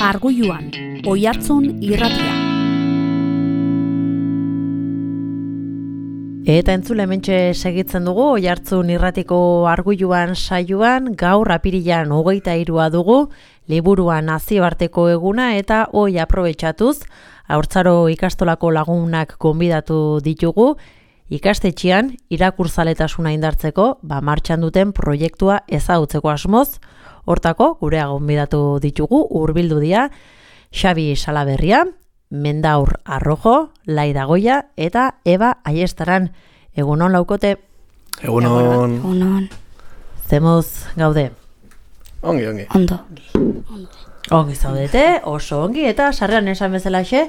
Arguluan, Oihartzun irratia. Eta entzule hementxe segitzen dugu Oihartzun irratiko Arguluan saioan, gaur apirilan 23 dugu, liburua nazioarteko eguna eta hoi aprobetxatuz, haurtzaro ikastolako lagunak gonbidatu ditugu, ikastetxean irakurzaletasuna indartzeko, martxan duten proiektua ezagutzeko asmoz. Hortako, gurea gonbidatu ditugu, hurbildu dira, Xabi Salaberria, Mendaur Arrojo, Laida Goia eta Eba Aiestaran. Egunon laukote? Egunon. Zemoz gaude? Ongi. Ondo. Ongi zaudete, oso ongi, eta sarrean esan bezalaxe,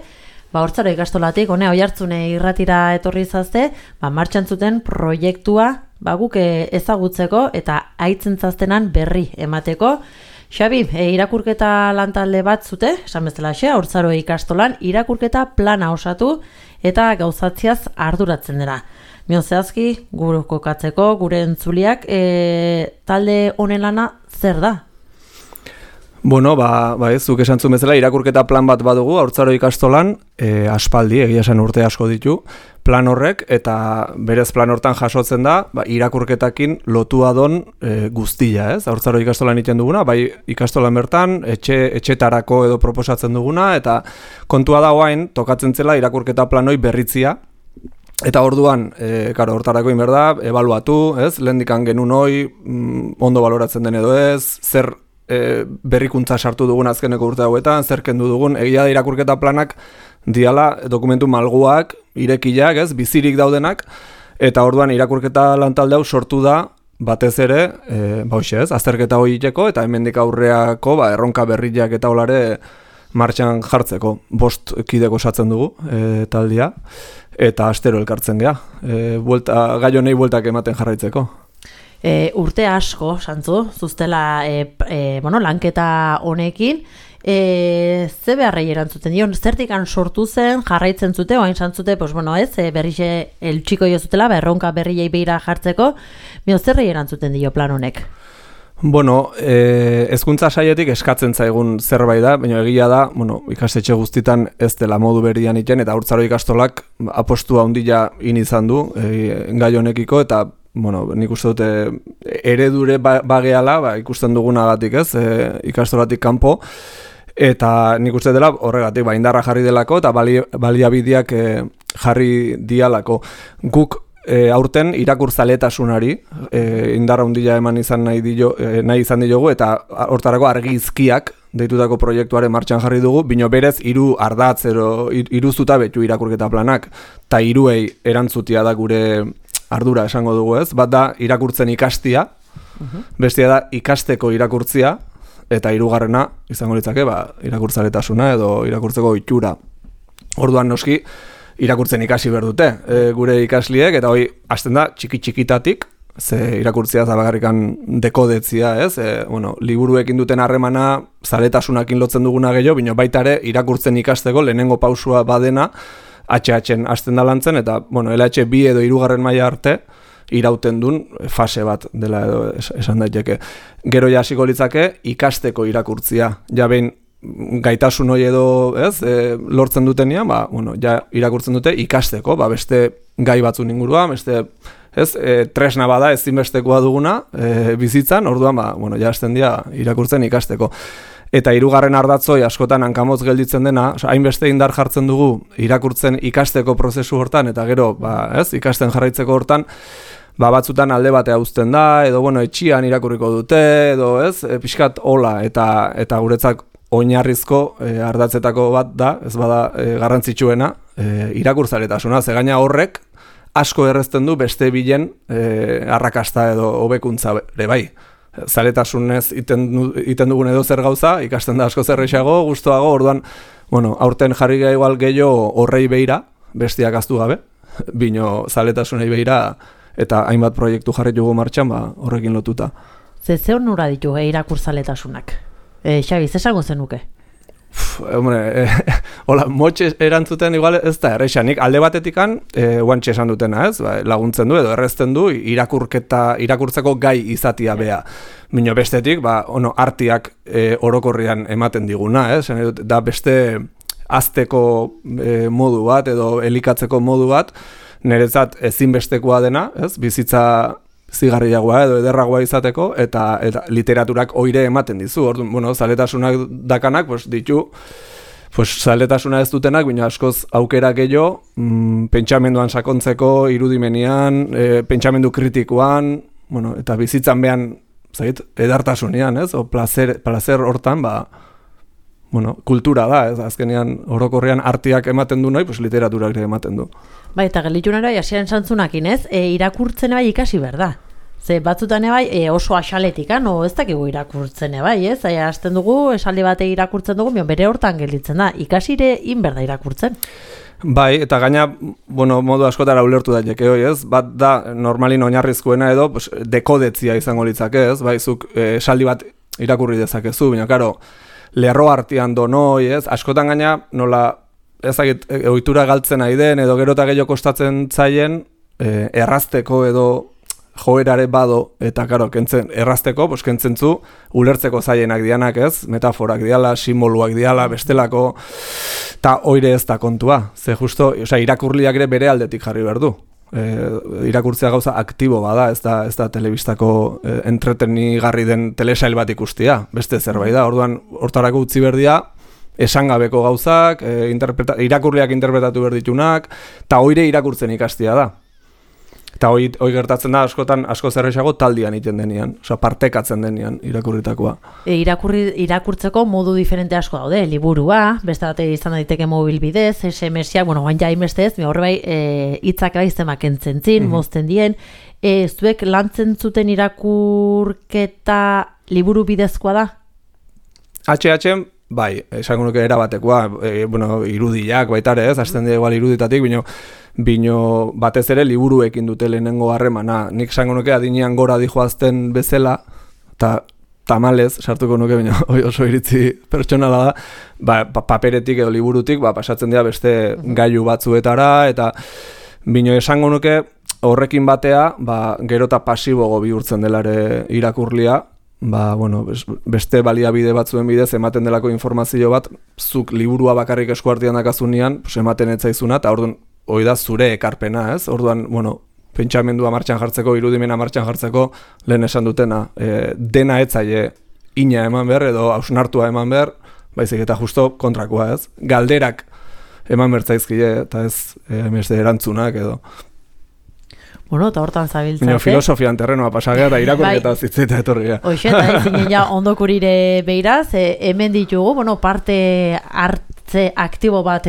hortzaro ikastolatik, Oihartzune irratira etorri zazte, martxan zuten proiektua, guk ezagutzeko eta aitzentzastenan berri emateko. Xabi, irakurketa lantalde bat zute, esan bezalaxe, hortzaro ikastolan, irakurketa plana osatu eta gauzatziaz arduratzen dira. Zehazki, gure kokatzeko, gure entzuliak, talde honen lana zer da? Bueno, zuk esan zuen bezala, irakurketa plan bat badugu, haurtzaro ikastolan, aspaldi, egia esan urte asko ditu, plan horrek, eta berez plan hortan jasotzen da, irakurketakin lotua don guztia, ez? Haurtzaro ikastolan egiten duguna, ikastolan bertan, etxetarako edo proposatzen duguna, eta kontua da oain, tokatzen zela irakurketa planoi berritzia, eta orduan, hortarako inberda, ebaluatu, ez? Lehendikan genuen hoi, ondo baloratzen den edo ez, zer berrikuntza sartu dugun azkeneko urte hauetan, zer kendu dugun, egia da irakurketa planak diala dokumentu malguak, irekiak, ez, bizirik daudenak, eta orduan irakurketa lantalde hau sortu da, batez ere, azterketa hori iteko, eta hemendik aurreako, erronka berriak eta olare martxan jartzeko. 5 kideko osatzen dugu taldia, eta astero elkartzen gea. Gai honei bueltak ematen jarraitzeko. Urte asko, santzu, zuztela lanketa honekin, ze beharrei erantzuten dion, zertikan sortu zen, jarraitzen zute, oain santzute, berrixe eltsiko jo zutela, erronka berriei behira jartzeko, zerrei erantzuten dio plan honek? Hezkuntza saietik eskatzen zaigun zerbait da, baina egia da, ikastetxe guztitan ez dela modu berrian iten, eta haurtzaro ikastolak apostua handia izan du gai honekiko, eta nik uste dute eredure bageala, ikusten dugunagatik ez, ikastolatik kanpo, eta nik uste dela horregatik indarra jarri delako eta baliabideak jarri dialako. Guk aurten irakurzaletasunari indarra handia eman nahi izan diogu, eta hortarako argizkiak deitutako proiektuaren martxan jarri dugu, bino berez 3 ardatz, 3 zutabetu irakurketa planak, eta 3ei erantzutia da gure ardura esango dugu, ez? Bat da irakurtzen ikastia, bestia da ikasteko irakurtzia, eta 3. izango litzake, irakurtzaletasuna edo irakurtzeko ohitura. Orduan noski irakurtzen ikasi behar dute gure ikasliek, eta hoi hasten da txiki-txikitatik, ze irakurtzia zabagarrikan dekodetzia, ez? Liburuekin duten harremana zaletasunakin lotzen duguna gehiago, bino baita ere irakurtzen ikasteko lehenengo pausua badena, HH-en hasten da lantzen, eta, LH 2 edo 3. maila arte irauten duen fase bat dela edo esan daiteke. Gero ja hasiko litzake ikasteko irakurtzia. Ja behin gaitasun hori edo, ez, lortzen dutenean, ja irakurtzen dute ikasteko, beste gai batzun inguruan, beste, ez, tresna bada ezinbestekoa duguna bizitzan, orduan, ja hasten dira irakurtzen ikasteko. Eta 3. ardatzoi askotan hankamotz gelditzen dena, hainbeste indar jartzen dugu irakurtzen ikasteko prozesu hortan, eta gero, ikasten jarraitzeko hortan, batzutan alde batea uzten da, edo, etxian irakurriko dute, edo, pixkat hola, eta guretzak oinarrizko ardatzetako bat da, ez bada garrantzitsuena, irakurzaletasuna, ze gaina horrek asko errezten du beste bilen arrakasta edo hobekuntza ere bai. Zaletasunez iten dugun edo zer gauza, ikasten da asko zerrexago, gustoago, orduan, aurten jarri igual gehiago horrei beira, bestiak aztu gabe, bino zaletasunei beira, eta hainbat proiektu jarri dugu martxan, horrekin lotuta. Ze onura ditu irakurzaletasunak? Xabi, zesango zenuke? hola, motxe erantzuten igual ez da erresa. Nik alde batetikan, guantxe esan dutena, ez? Ba, laguntzen du edo errezten du irakurtzeko gai izatia bea. Bino bestetik, artiak orokorrian ematen diguna, ez? Da beste azteko modu bat edo elikatzeko modu bat, niretzat ezinbestekoa dena, ez? Bizitza zigarriagoa edo ederragoa izateko, eta literaturak oire ematen dizu. Orduan, zaletasunak dakanak, ditu, zaletasuna ez dutenak, baina askoz aukera gehiago, pentsamenduan sakontzeko, irudimenian, pentsamendu kritikoan, eta bizitzan behan, edartasunean, ez? O placer hortan, kultura da, ez? Azkenean orokorrean artiak ematen du nahi, literaturak ere ematen du. Bai, eta gelditunera jasiaren santzunakin, ez? Irakurtzen bai ikasi behar da. Ze batzutan bai oso axaletikan, ez dakigu irakurtzen bai, ez? Hasten dugu, esaldi bate irakurtzen dugu, bere hortan gelditzen da. Ikasire inberda irakurtzen. Bai, eta gaina, modu askotara ulertu daiteke hoi, ez? Bat da, normalin oinarrizkoena edo, dekodetzia izango litzake, ez? Bai, zuk esaldi bat irakurri dezakezu, baina, karo, lerro artean donoi, ez? Askotan gaina, nola, ezagit, ohitura galtzen nahi den, edo gero eta gehiago kostatzen zaien, errazteko edo joerare bado, eta karo, errazteko, kentzen zu, ulertzeko zaienak dianak, ez? Metaforak diala, simboluak diala, bestelako, eta oire ez da kontua. Ze justo, irakurliak ere bere aldetik jarri behar du. Irakurtzea gauza aktibo bada, ez da telebistako entretenigarri den telesail bat ikustia, beste zerbait da. Orduan, hortarako utzi berdia, esangabeko gauzak, irakurliak interpretatu berditunak, eta oire irakurtzen ikastia da. Eta hoi gertatzen da askotan asko zerrexago taldian iten denean, partekatzen denean irakurritakoa. Irakurtzeko modu diferente asko daude, liburua, beste bate izan daiteke mobil bidez, SMS-ak, guain ja inbestez, horre bai hitzak bai zemak entzentzin, mozten dien, zuek lantzen zuten irakurketa liburu bidezkoa da? HH, bai, esango nuke erabatekoa, irudiak baitare ez, hasten dira igual iruditatik, bino batez ere liburuekin dute lehenengo harremana. Nik esango nuke adinean gora dijoazten bezala, eta tamalez, sartuko nuke, baina oso iritzi pertsonala da, paperetik edo liburutik, pasatzen dira beste gailu batzuetara, eta bino esango nuke horrekin batea, gero eta pasibogo bihurtzen delare irakurlia, beste baliabide batzuen bidez ematen delako informazio bat, zuk liburua bakarrik eskuartian dakazunean, ematen etzaizuna, eta orduan, hoi da zure ekarpena, ez? Orduan, pentsamendua martxan jartzeko, irudimena martxan jartzeko, lehen esan dutena, dena etzaile ina eman behar, edo hausnartua eman behar, baizik eta justo kontrakoa, ez? Galderak eman bertzaizkile, eta ez erantzunak, edo. Eta hortan zabiltzate. Filosofian terrenoa pasagea, da irakurketa zitzita etorria. Hoxe, eta ezinen ja ondokurire behiraz, hemen ditugu, parte hartze aktibo bat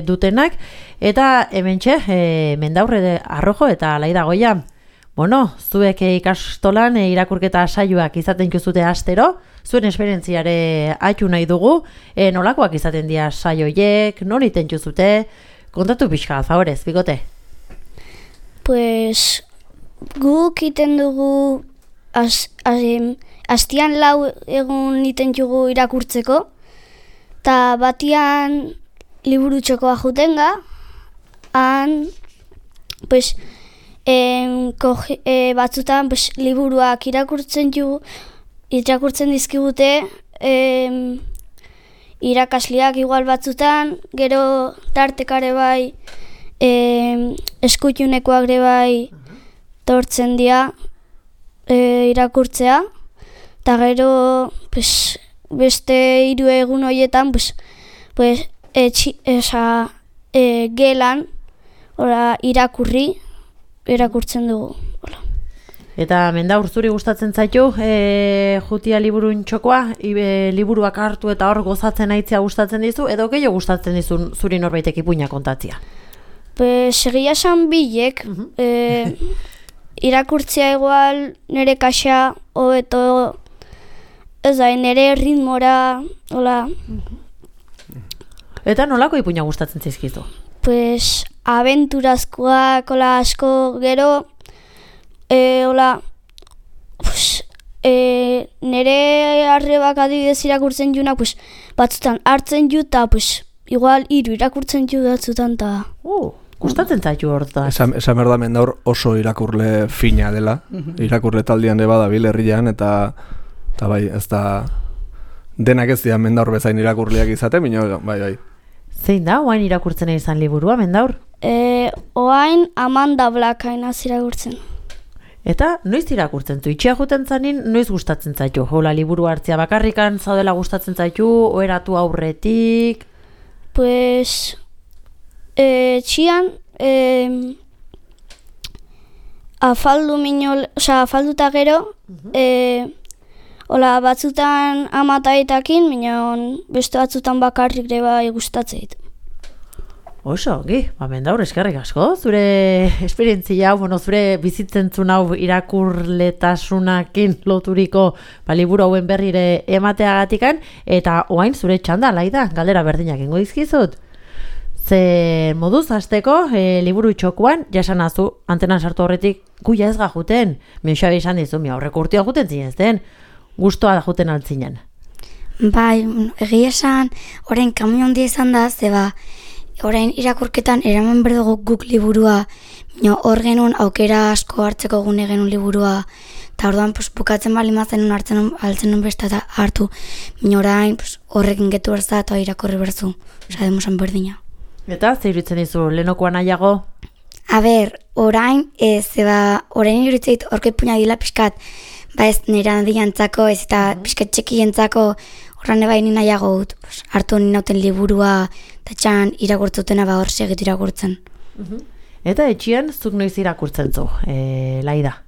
dutenak, eta hemen mendaurre arrojo eta laida goia. Zuek ikastolan irakurketa saioak izaten juzute astero, zuen esperientziare haitu nahi dugu, nolakoak izaten dira saioiek, nol iten juzute, kontatu pixka, favorez, bikote? Pues guk iten dugu astian 4 egun iten dugu irakurtzeko, eta batian liburu txokoa jutenga, han pues, batzutan pues, liburuak irakurtzen dizkigute irakasleak igual batzutan, gero tartekare bai eskutiunekoak ere bai tortzen dira irakurtzea, eta gero pues, beste 3 egun horietan pues, gelan irakurtzen dugu. Eta Mendaur, zuri gustatzen zaitu jutia liburun txokoa, liburuak hartu eta hor gozatzen aitzea gustatzen dizu, edo gehiago gustatzen dizu zuri norbaitek ipuina kontatzea? Segia esan bilek, irakurtzea igual nire kaxa, hobeto, ez da, nire ritmora, hola. Eta nolako ipuina gustatzen zaizkizu? Abenturazkoak, hola, asko, gero, hola, nire arrebak adibidez irakurtzen junak, batzutan hartzen ju eta igual 3 irakurtzen judatzutan ta. Gustatzen zaitu hortaz. Esan behar da Mendaur oso irakurle fina dela, irakurle taldean ere badabil herrian, eta bai, ez da denak ez dira Mendaur bezain irakurleak izate, bai. Zein da, oain irakurtzen izan liburua, Mendaur? Oain Amanda Blakain irakurtzen. Eta noiz irakurtzen zu? Itxia juten zanin, noiz gustatzen zaitu? Hola, liburu hartzea bakarrikan zaudela gustatzen zaitu, oheratu aurretik? Pues, txian, afalduta gero, hola, batzutan amataetakin, minon beste batzutan bakarrik ere bai gustatzen ditu. Oso, Mendaur, eskerrik asko, zure esperientzia, zure bizitzen hau irakurletasunakin loturiko liburu hauen berrire emateagatikan, eta oain zure txanda, Laida, galdera berdinak ingo dizkizut. Ze moduz hasteko liburu txokuan, jasanazu, antenan sartu horretik, guia ez gajuten, Xabi esan dizu, aurreko urtea juten zinezten, gustoa da juten altzinen. Bai, egia esan, orain kamion handia izan da, zeba, orain irakurketan eraman berdugu guk liburua, hor genuen aukera asko hartzeko gune genuen liburua, eta orduan bukatzen bali mazen altzen beste eta hartu, orain horrekin getu berza eta irakurri berzu, demusan berdina. Eta, zer iruditzen dizu, lehenokoa nahiago? Orain, orain iruditzeit horke puña dila pixkat, ez nire handiantzako, ez eta pixkat txekientzako, horran eba nina nahiago dut, hartu ninauten liburua, eta txan irakurtzutena hor segitu irakurtzen. Eta etxian, zuk noiz irakurtzen zu, Laida?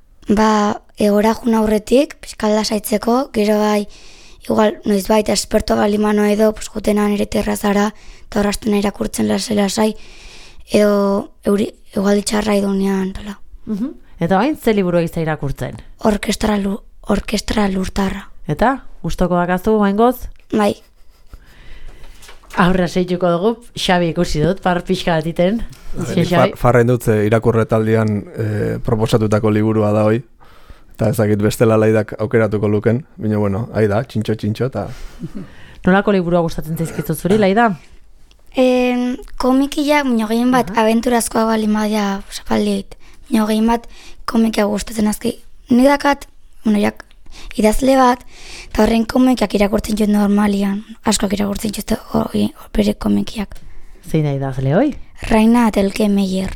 Egora juna aurretik, pixkalda saitzeko, gero bai, igual, noiz baita esperto balimano edo, jutenan ere terrazara, eta horraztena irakurtzen lasai, edo igual ditxarra idunean, tala. Eta bain, ze liburu egizta irakurtzen? Orkestra lurtarra. Eta, gustoko dakazu, bain goz? Bai. Aurra seituko dugu, Xabi ikusi dut, pixka bat iten. Farren dut irakurre taldean proposatutako liburua da hoi, eta ezakit bestela Laidak aukeratuko luken, baina bueno, aida, txintxo, eta... Nolako liburua gustatzen zaizkizu zuri, Laida? Komikiak, gehien bat, abenturazkoa bali madia zapaldiet. Gehien bat, komikia gustatzen azki. Nidakat, idazle bat, eta horren komikiak irakurtzen jut normalian. Askoak irakurtzen jut bere komikiak. Zein da idazle hoi? Raina Atelke Meyer.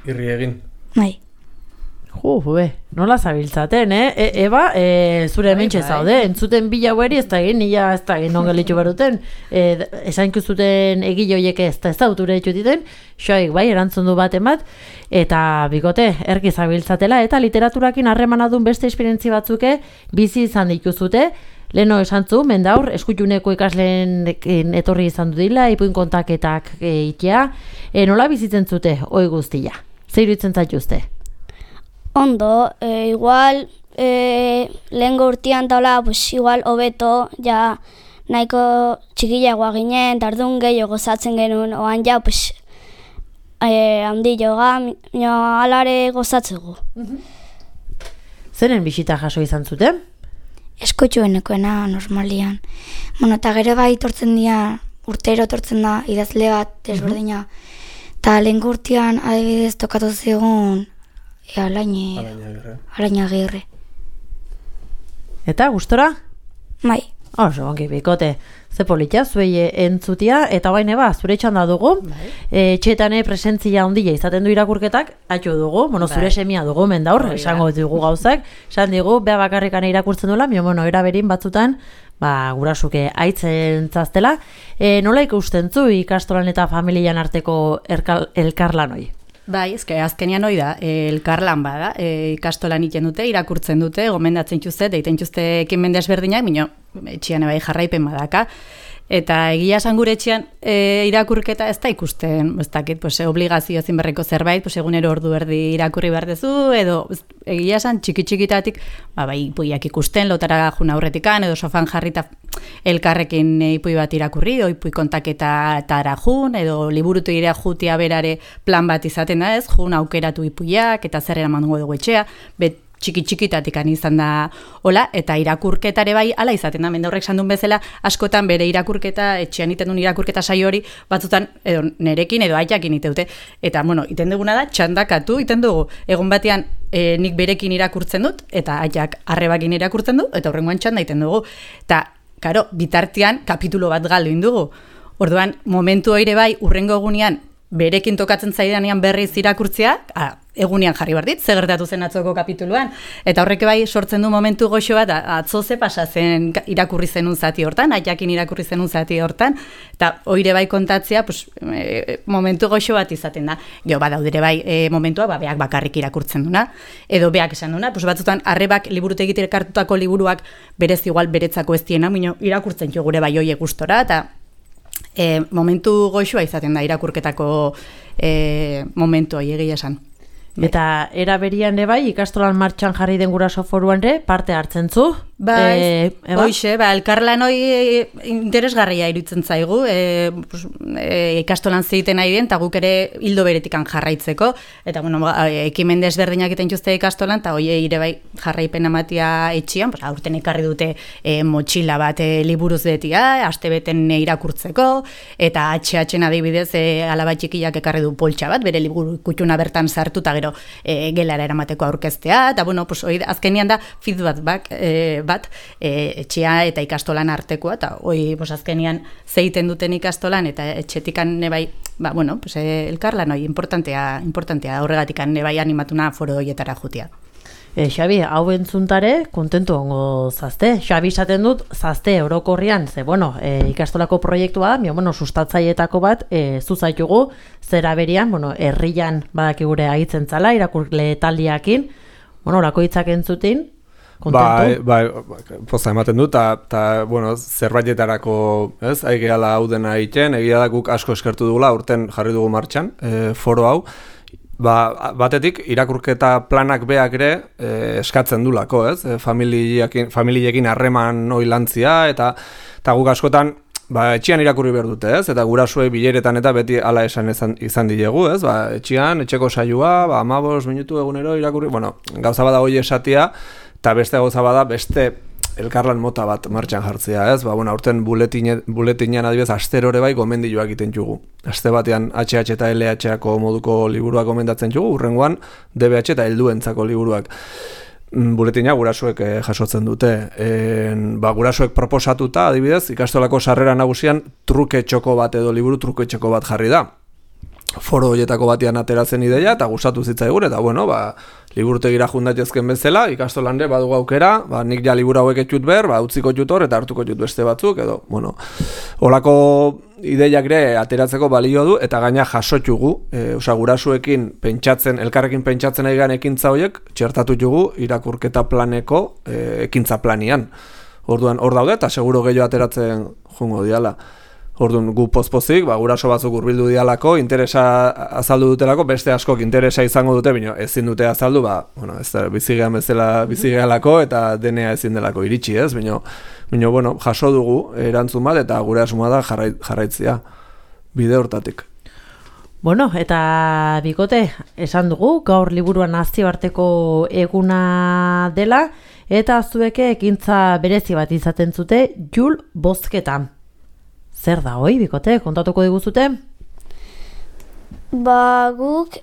Irri egin. Bai. Nola zabiltzaten, Eba, zure hementxe zaude, entzuten bila haueri ez da egin, nila ez da egin nongelitxu beruten, esainkuzuten egile horiek ez da auture dituten, xoik bai, erantzun du bat emat, eta bikote, erki zabiltzatela, eta literaturakin harremanadun beste esperientzi batzuke bizi izan dituzute, leheno esantzu, Mendaur, eskutuneko ikasleen etorri izan du dila, ipuin kontaketak itea, nola bizitzen zute, oi guztia, zer iruditzen zaituzte? Ondo, igual, lehengo urtean taula, igual, hobeto, ja, nahiko txikilagoa ginen, tardun gehiago gozatzen genuen, oan ja, handi joga, alare gozatzeko. Zeren bisita jaso izan zuten? Eskotxuenekoena, normalian. Eta gero bai tortzen dira, urtero tortzen da, idazle bat, desberdina. Eta lehengo urtean, adibidez, tokatu zigun, Alaina Agirre. Eta, gustora? Bai. Oso, ongi, bikote. Ze politia, zuei entzutia, eta bain eba, zure txanda dugu. Txetane presentzia ondila izaten du irakurketak, atxo dugu, zure semia dugu, Mendaur, esango dugu gauzak. Esan digu, beha bakarrikan irakurtzen duela, eraberin batzutan, gurasuke aitzen zaztela. Nola ikusten zu ikastolan eta familian arteko elkarlanoi? Bai, azkenian hori da, elkarlan bada, ikastolan iten dute, irakurtzen dute, gomendatzen txuzte, deiten txuzte ekin desberdinak, minio, etxian bai jarraipen badaka, eta egia esan gure etxian irakurketa ez da ikusten, ez dakit, obligazio zinberreko zerbait, egunero ordu erdi irakurri behar dezu, edo egia esan txiki-txikitatik, bai, ipuiak ikusten, lotara juna aurretikan, edo sofan jarrita elkarrekin ipui bat irakurri, ipui kontaketa eta jun, edo liburutu irea jutia berare plan bat izaten da ez, jun aukeratu ipuiak, eta zer eraman dugu etxea, txiki-txikitatik izan da hola, eta irakurketare bai ala izaten da, mendaurrek sandun bezala, askotan bere irakurketa, etxean iten duen irakurketa saio hori, batzutan edo nerekin edo aitakin iteute. Eta, bueno, iten duguna da, txandakatu iten dugu. Egon batean nik berekin irakurtzen dut, eta aitak arrebakin irakurtzen du, eta horrengoan txanda iten dugu. Eta, karo, bitartean kapitulo bat galdu indugu. Orduan, momentu ere bai, urrengo egunean, berekin tokatzen zaidanean berriz irakurtzea, egunean jarri behar dit, ze gertatu zen atzoko kapituluan. Eta horrek bai sortzen du momentu goxo bat, atzo ze pasa zen irakurri zenun zati hortan, aiakin irakurri zenun zati hortan, eta oire bai kontatzea, pues, momentu goxo bat izaten da. Gero badaudere bai momentua, beak bakarrik irakurtzen duna, edo beak esan duna, pues, batzutan arrebak liburutegitik hartutako liburuak berez igual beretzako ez diena, mino irakurtzen jo gure bai oie gustora, eta momentu goxoa izaten da irakurketako momentu hori egia esan. Eta era berian bai, ikastolan martxan jarri den Guraso Foruan parte hartzen zu? Bai, hoxe, elkarlan hori interesgarria iruditzen zaigu, ikastolan zeiten nahi den, eta guk ere hildo beretikan jarraitzeko, eta bueno, ekimen desberdinak iten juzte ikastolan, eta hoi ere bai jarraipen amatia etxian, aurten ekarri dute motxila bat liburuz betia, astebeten irakurtzeko, eta HH-en adibidez alaba txikiak ekarri du poltsa bat, bere liburu kutxuna bertan sartu, eta gero gelara eramateko aurkeztea, eta bueno, azkenian da feedback bat etxea eta ikastolan artekoa, eta hoi azkenian zeiten duten ikastolan, eta etxetikan nebai, elkarlan hoi importantea horregatikan nebai animatuna foro hoietara jutia. Xabi, hau entzuntare, kontentu ongo zazte. Xabi esaten dut, zazte orokorrian, ze, ikastolako proiektua, sustatzaietako bat, zuzaitugu, zera berian, herrian badakigure ahitzen zala, irakurle taldiakin, orako hitzak entzutin, kontentu? Bai, poza ematen dut, eta, zerbaitetarako, aigeala hau dena egiten, egia da guk asko eskertu dugula, urten jarri dugu martxan, foro hau, batetik irakurketa planak beak ere eskatzen dulako, familiekin harreman oilantzia, eta guk askotan etxean irakurri behar dute, eta gurasuei bileretan eta beti ala esan izan dilegu, etxean, etxeko saioa, 15 minutu egunero irakurri, gauza bada hoi esatia, eta beste gauza bada beste elkarlan mota bat martxan jartzea, aurten buletinean adibidez asterore bai gomendioak egiten jugu. Aste batean HH eta LH-ako moduko liburuak gomendatzen jugu, urrengoan DBH eta helduentzako liburuak. Buletina gurasuek jasotzen dute. Gurasuek proposatuta, adibidez, ikastolako sarrera nagusian truke txoko bat edo liburu truke txoko bat jarri da. Foro horietako batean ateratzen ideia eta gustatu zitzaigun, eta liburutegira jundatezken bezala, ikastolan ere badugu aukera, nik ja liburu hauek etxut behar, utziko jut hor eta hartuko jut beste batzuk, edo, holako ideiak ere ateratzeko balio du, eta gaina jasotxugu, gurasuekin pentsatzen, elkarrekin pentsatzen egan ekintza horiek, txertatu jugu irakurketa planeko ekintza planian. Orduan, hor daude, eta seguro gehiago ateratzen jungo diala. Orduan, gu pozpozik, guraso batzuk hurbildu dialako, interesa azaldu dutelako, beste askok interesa izango dute, bino ezin dute azaldu, ez da, bizigean bezala bizigealako, eta denea ezin delako iritsi ez, bino, jaso dugu erantzun bat, eta gure asuma da jarraitzea, bide hortatik. Eta bikote, esan dugu, gaur liburuan nazioarteko eguna dela, eta zueke ekintza berezi bat izaten zute, Jul bozketan. Zer da hoi, bikote, kontatuko diguzute? Guk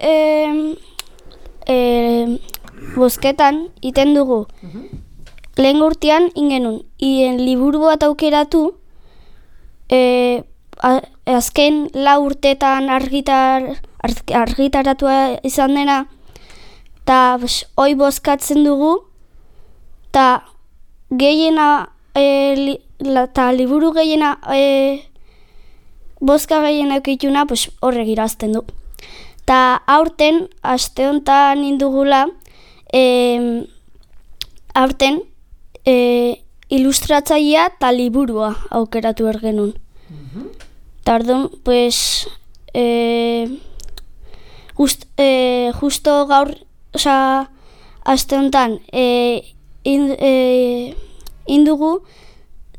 bozketan iten dugu. Lehen urtean ingenun, liburu bat aukeratu, azken 4 urtetan argitaratua izan dena, eta hoi bozkatzen dugu, eta gehiena, eta liburu gehiena, bozka gehiena eukituna, horrek irazten du. Eta aurten, aste honetan indugula, aurten ilustratzailea eta liburua aukeratu ergenun. Eta orduan, justo gaur, aste honetan indugu,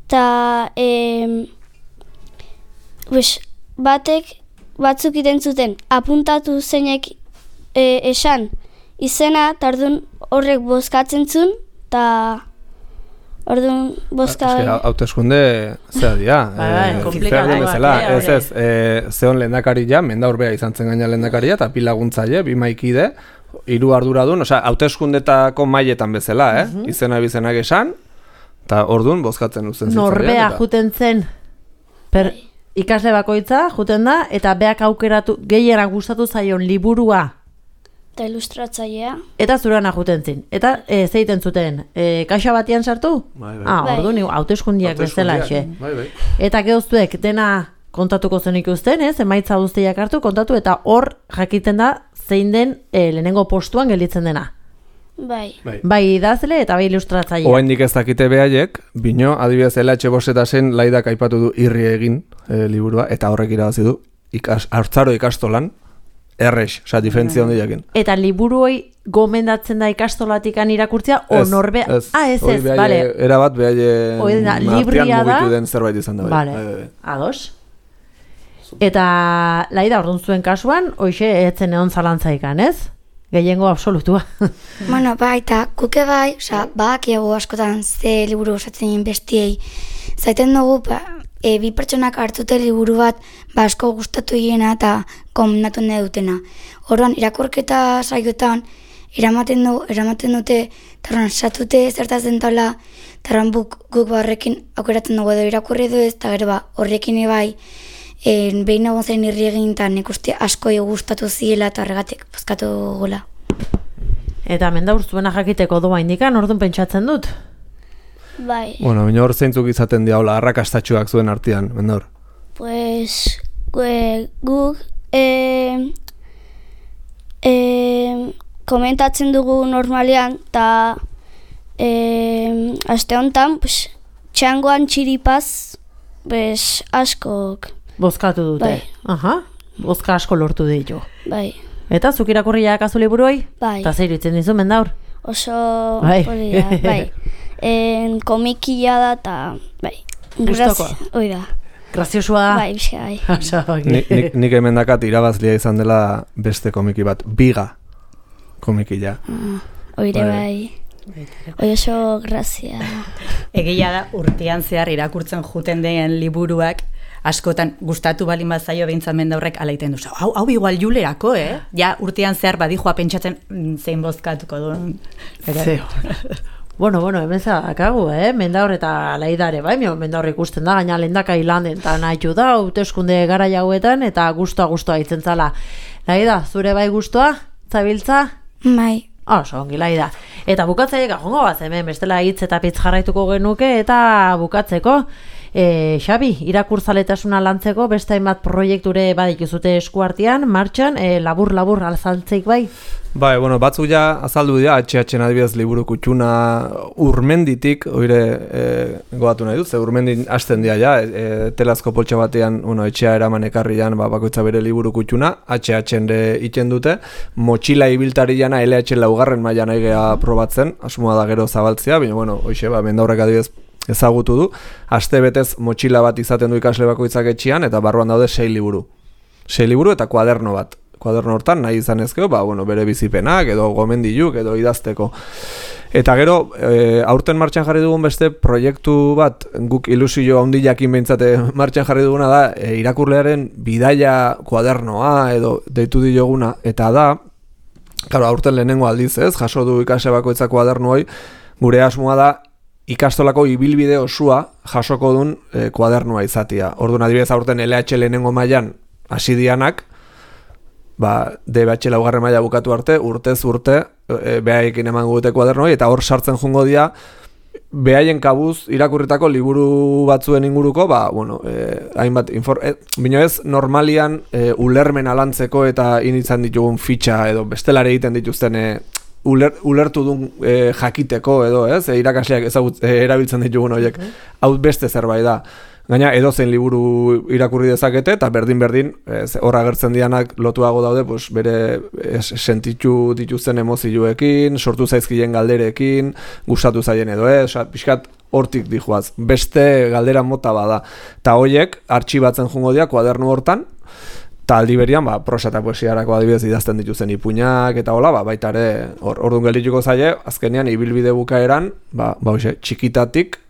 eta batzuk iten zuten apuntatu zeinek esan izena, eta orduan horrek bozkatzen zuen, eta orduan bozka... Hauteskunde zera dira. Zeon lehendakari ja, Mendaur izan zen gaina lehendakaria, eta bi laguntzaile, bi maikide, 3 arduradun, hauteskundetako mailetan bezala, izena bizenak esan, eta orduan bozkatzen uzen zitzailean. Norbea juten zen, ikasle bakoitza juten da, eta beak aukeratu, gehienak gustatu zaion liburua, eta ilustratzailea. Eta zurana juten zin. Eta zeiten zuten, kaxa batian sartu? Bai. Orduan, hauteskundiak bezala, xe. Bai. Eta geuztuek dena kontatuko zen ikusten, emaitza guztiak hartu, kontatu, eta hor jakiten da zein den lehenengo postuan gelditzen dena. Bai. Bai idazle eta bai ilustratzailea. Oraindik ez dakite behaiek, bino, adibidez LH Bostetasen Laidak aipatu du irri egin liburua, eta horrek irabazi du haurtzaro ikastolan, errex, diferentzia hondiakin. Eta liburuoi gomendatzen da ikastolatikan irakurtzea, o norbea... Ez, bale. Erabat behaie libria da. Mugitu den zerbait izan da. Bale, ados. Eta Laida orduan zuen kasuan, hoxe etzen egon zalantzaikan, ez? Gehiengo absolutua. Bueno, bai, eta kuke bai, badakiago askotan ze liburu osatzen bestiei. Zaiten dugu, bi pertsonak hartute liburu bat asko gustatu hiena eta komendatu nahi dutena. Orduan, irakurketa saioetan eramaten dute, eta satute zertaz den tala, eta guk horrekin aukeratzen dugu edo irakurri du ez, eta gero horrekin bai, behin egon zen irri egin, eta nik uste asko gustatu ziela, eta horregatik bozkatu gola. Eta Mendaur zuena jakiteko doa indikan, orduan pentsatzen dut? Bai. Bueno, baina hor zeintzuk izaten diaula, arrakastatxuak zuen artean, Mendaur? Pues, guk komentatzen dugu normalean, eta aste honetan, txangoan txiripaz, askok. Bozkatu dute? Bai. Aha, bozka asko lortu ditu. Bai. Eta zuk irakurriak azu liburuoi? Bai. Eta zer itzen dizu, Mendaur? Oso polia, bai. Komikia da, eta bai. Gustokoa? Hoi da. Graziosua da? Bai, bizka, bai. Nik hemen dakat irabazlia izan dela beste komiki bat, Biga komikila. Oire bai. Oi oso grazia. Egia da, urtean zehar irakurtzen juten den liburuak, askotan gustatu balin bazaio behintzat Mendaurrek alaiten duzu. Hau igual julerako, Ja, urtean zehar badijoa pentsatzen zein bozkatuko duen. Zeo. Bueno, hemen zakagu, Mendaur eta Laidare, bai, Mendaur ikusten da, gaina lehendakai landen, eta nahi da, hauteskunde gara jauetan, eta gustoa itzen zala. Laida, zure bai gustoa? Zabiltza? Bai. Oso, ongi Laida. Eta bukatzaiek ajongo bat, hemen bestela hitz eta pitz jarraituko genuke, eta bukatzeko, Xabi, irakurtzaletasuna lantzeko beste hainbat proiekture badikizute eskuartean, martxan, labur alzaltzeik bai? Bai, batzuk ja azaldu dira, HH adibidez liburu kutxuna Urmenditik, oire goatu nahi dut, ze Urmendin hasten dira ja, telazko poltsa batean, etxea eraman ekarrian, bakoitza bere liburu kutxuna, HH-ende iten dute, motxila ibiltari jana LH laugarren mailan aigea probatzen, asmoa da gero zabaltzea, baina, hoxe, Mendaurrek adibidez ezagutu du, aste betez motxila bat izaten du ikasle bakoitzak etxean, eta barruan daude 6 liburu. 6 liburu eta kuaderno bat. Kuaderno hortan nahi izan ezkeo, bere bizipenak, edo gomendiluk, edo idazteko. Eta gero, aurten martxan jarri dugun beste proiektu bat, guk ilusio handiakin behintzate martxan jarri duguna da, irakurlearen bidaia kuadernoa, edo deitu dioguna, eta da, claro, aurten lehenengo aldiz ez, jaso du ikasle bakoitzak kuadernooi, gure asmoa da, ikastolako ibilbide osua jasoko duen kuadernoa izatia. Orduan adibidez aurten LH lehenengo mailan hasi dianak, DBH laugarren maila bukatu arte, urtez urte, behaiekin eman gute kuadernoi, eta hor sartzen jungo dira, behaien kabuz irakurritako liburu batzuen inguruko, hainbat, bino ez normalian ulermen alantzeko eta initzan ditugun fitxa, edo bestelare egiten dituzten ulertu duen jakiteko edo, irakasleak erabiltzen ditugun horiek, hau beste zerbait da. Gaina edozein liburu irakurri dezakete eta berdin hor agertzen dianak lotuago daude, bere sentitu dituzten emozioekin, sortu zaizkien galderekin, gustatu zaien edo, pixkat hortik dijoaz. Beste galdera mota bada. Ta horiek artxibatzen jungo dira kuadernu hortan, Eta aldi berian, prosa eta poesiarako adibidez idazten dituzten ipuinak eta hola, baita ere, orduan geldituko zaie, azkenean ibilbide bukaeran, txikitatik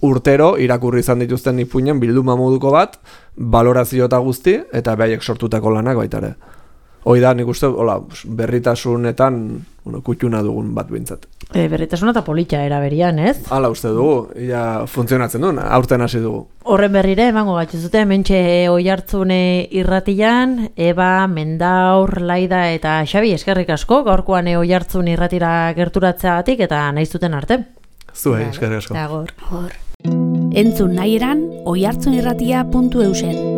urtero irakurri izan dituzten ipuinen bilduma moduko bat, balorazio eta guzti, eta behaiek sortutako lanak baita ere. Hoi da, nik uste, berritasunetan kutxuna dugun bat bintzat. Berritasuna eta politxa eraberian, ez? Hala uste dugu, funtzionatzen duen, aurten hasi dugu. Horren berrire, emango gatzizute, mentxe Oihartzun irratian, Eba, Mendaur, Laida eta Xabi, eskerrik asko, gaurkoan Oihartzun irratira gerturatzeagatik eta nahi zuten arte. Zuei, eskerrik asko. Agor. Entzun nahi eran, oihartzunirratia.eusen.